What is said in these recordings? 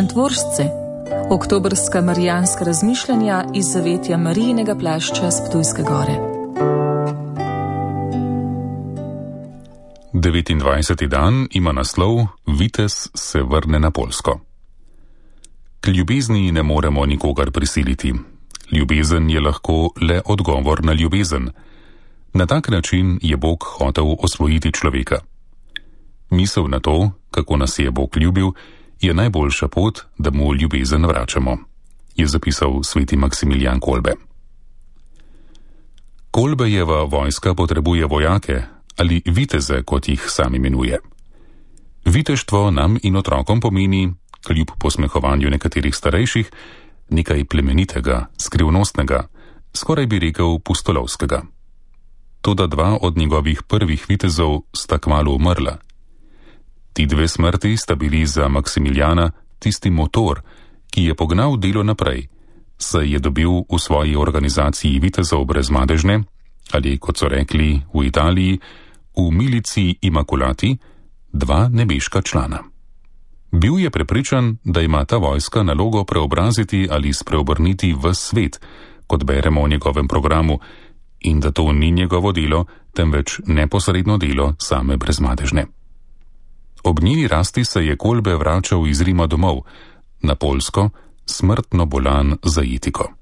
Šentvoržce, oktobrska marijanska razmišljanja iz zavetja Marijinega plašča s Ptujske gore. 29. dan ima naslov Vitez se vrne na Poljsko. K ljubezni ne moremo nikogar prisiliti. Ljubezen je lahko le odgovor na ljubezen. Na tak način je Bog hotel osvojiti človeka. Misel na to, kako nas je Bog ljubil, je najboljša pot, da mu ljubezen vračamo, je zapisal sveti Maksimilijan Kolbe. Kolbejeva vojska potrebuje vojake ali viteze, kot jih sam imenuje. Viteštvo nam in otrokom pomeni, kljub posmehovanju nekaterih starejših, nekaj plemenitega, skrivnostnega, skoraj bi rekel pustolovskega. Toda dva od njegovih prvih vitezov sta kmalu umrla. Ti dve smrti sta bili za Maksimiljana tisti motor, ki je pognal delo naprej, saj je dobil v svoji organizaciji vitezov brezmadežne, ali kot so rekli v Italiji, v milici Imakulati, dva nebeška člana. Bil je prepričan, da ima ta vojska nalogo preobraziti ali spreobrniti ves svet, kot beremo v njegovem programu, in da to ni njegovo delo, temveč neposredno delo same brezmadežne. Ob njeni rasti se je Kolbe vračal iz Rima domov, na Poljsko, smrtno bolan za etiko.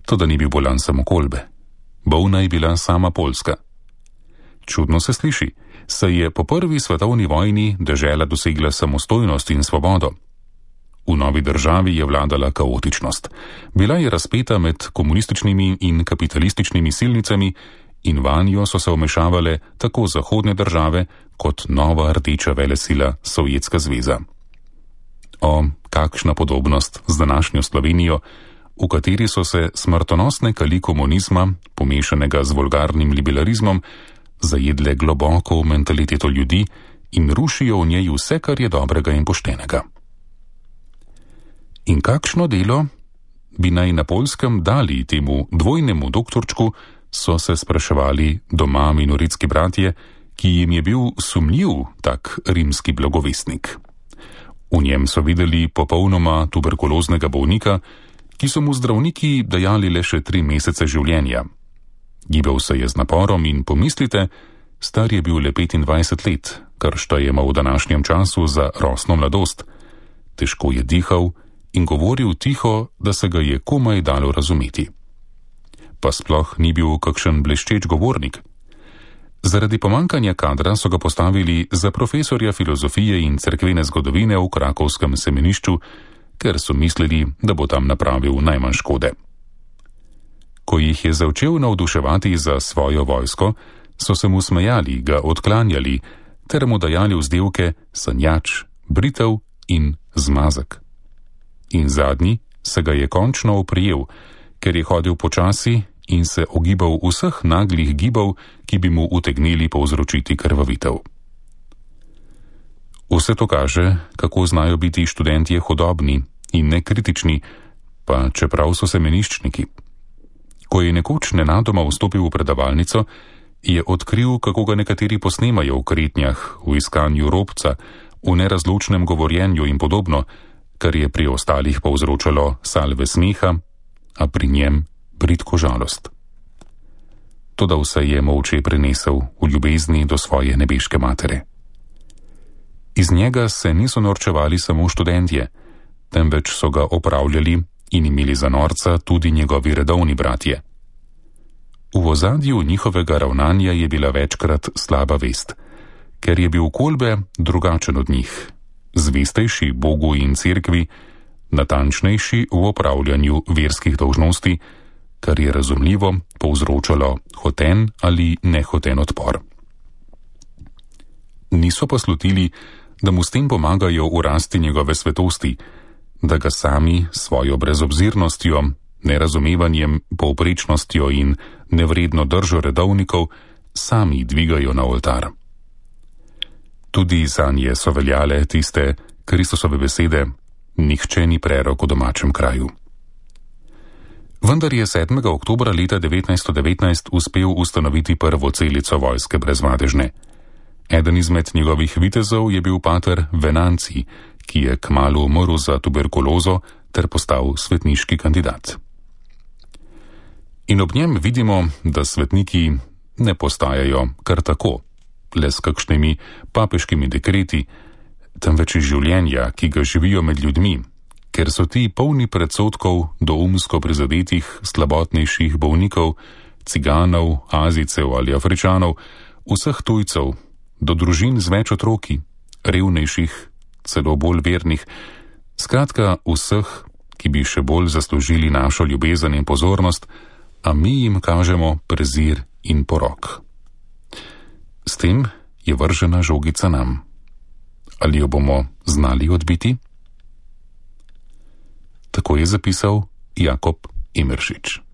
Toda ni bil bolan samo Kolbe. Bolna je bila sama Poljska. Čudno se sliši, saj je po prvi svetovni vojni dežela dosegla samostojnost in svobodo. V novi državi je vladala kaotičnost. Bila je razpeta med komunističnimi in kapitalističnimi silnicami in vanjo so se vmešavale tako zahodne države kot nova rdeča velesila Sovjetska zveza. O, kakšna podobnost z današnjo Slovenijo, v kateri so se smrtonosne kali komunizma, pomešanega z vulgarnim liberalizmom, zajedle globoko v mentaliteto ljudi in rušijo v njej vse, kar je dobrega in poštenega. In kakšno delo bi naj na Poljskem dali temu dvojnemu doktorčku, so se spraševali doma minoritski bratje, ki jim je bil sumljiv tak rimski blagovestnik. V njem so videli popolnoma tuberkuloznega bolnika, ki so mu zdravniki dajali le še 3 mesece življenja. Gibal se je z naporom in pomislite, star je bil le 25 let, kar štejemo v današnjem času za rosno mladost. Težko je dihal in govoril tiho, da se ga je komaj dalo razumeti. Pa sploh ni bil kakšen bleščeč govornik. Zaradi pomankanja kadra so ga postavili za profesorja filozofije in cerkvene zgodovine v krakovskem semenišču, ker so mislili, da bo tam napravil najmanj škode. Ko jih je začel navduševati za svojo vojsko, so se mu smejali, ga odklanjali, ter mu dajali vzdevke sanjač, britev in zmazek. In zadnji se ga je končno oprijel, ker je hodil počasi in se ogibal vseh naglih gibov, ki bi mu utegnili povzročiti krvavitev. Vse to kaže, kako znajo biti študentje hudobni in nekritični, pa čeprav so semeniščniki. Ko je nekoč nenadoma vstopil v predavalnico, je odkril, kako ga nekateri posnemajo v kretnjah, v iskanju robca, v nerazločnem govorjenju in podobno, kar je pri ostalih povzročalo salve smeha, a pri njem bridko žalost. Toda vse je molče prenesel v ljubezni do svoje nebeške matere. Iz njega se niso norčevali samo študentje, temveč so ga opravljali in imeli za norca tudi njegovi redovni bratje. V ozadju njihovega ravnanja je bila večkrat slaba vest, ker je bil Kolbe drugačen od njih, zvestejši Bogu in cerkvi, natančnejši v opravljanju verskih dolžnosti, kar je razumljivo povzročalo hoten ali nehoten odpor. Niso pa slutili, da mu s tem pomagajo v rasti njegove svetosti, da ga sami svojo brezobzirnostjo, nerazumevanjem, povprečnostjo in nevredno držo redovnikov sami dvigajo na oltar. Tudi zanje so veljale tiste Kristusove besede: nihče ni prerok v domačem kraju. Vendar je 7. oktobra leta 1919 uspel ustanoviti prvo celico vojske brezmadežne. Eden izmed njegovih vitezov je bil pater Venanci, ki je kmalu umrl za tuberkulozo ter postal svetniški kandidat. In ob njem vidimo, da svetniki ne postajajo kar tako, le s kakšnimi papeškimi dekreti, temveč iz življenja, ki ga živijo med ljudmi, ker so ti polni predsodkov do umsko prizadetih, slabotnejših bolnikov, ciganov, Azijcev ali Afričanov, vseh tujcev, do družin z več otroki, revnejših, celo bolj vernih, skratka vseh, ki bi še bolj zaslužili našo ljubezen in pozornost, a mi jim kažemo prezir in porok. S tem je vržena žogica nam. Ali jo bomo znali odbiti? Tako je zapisal Jakob Emeršič.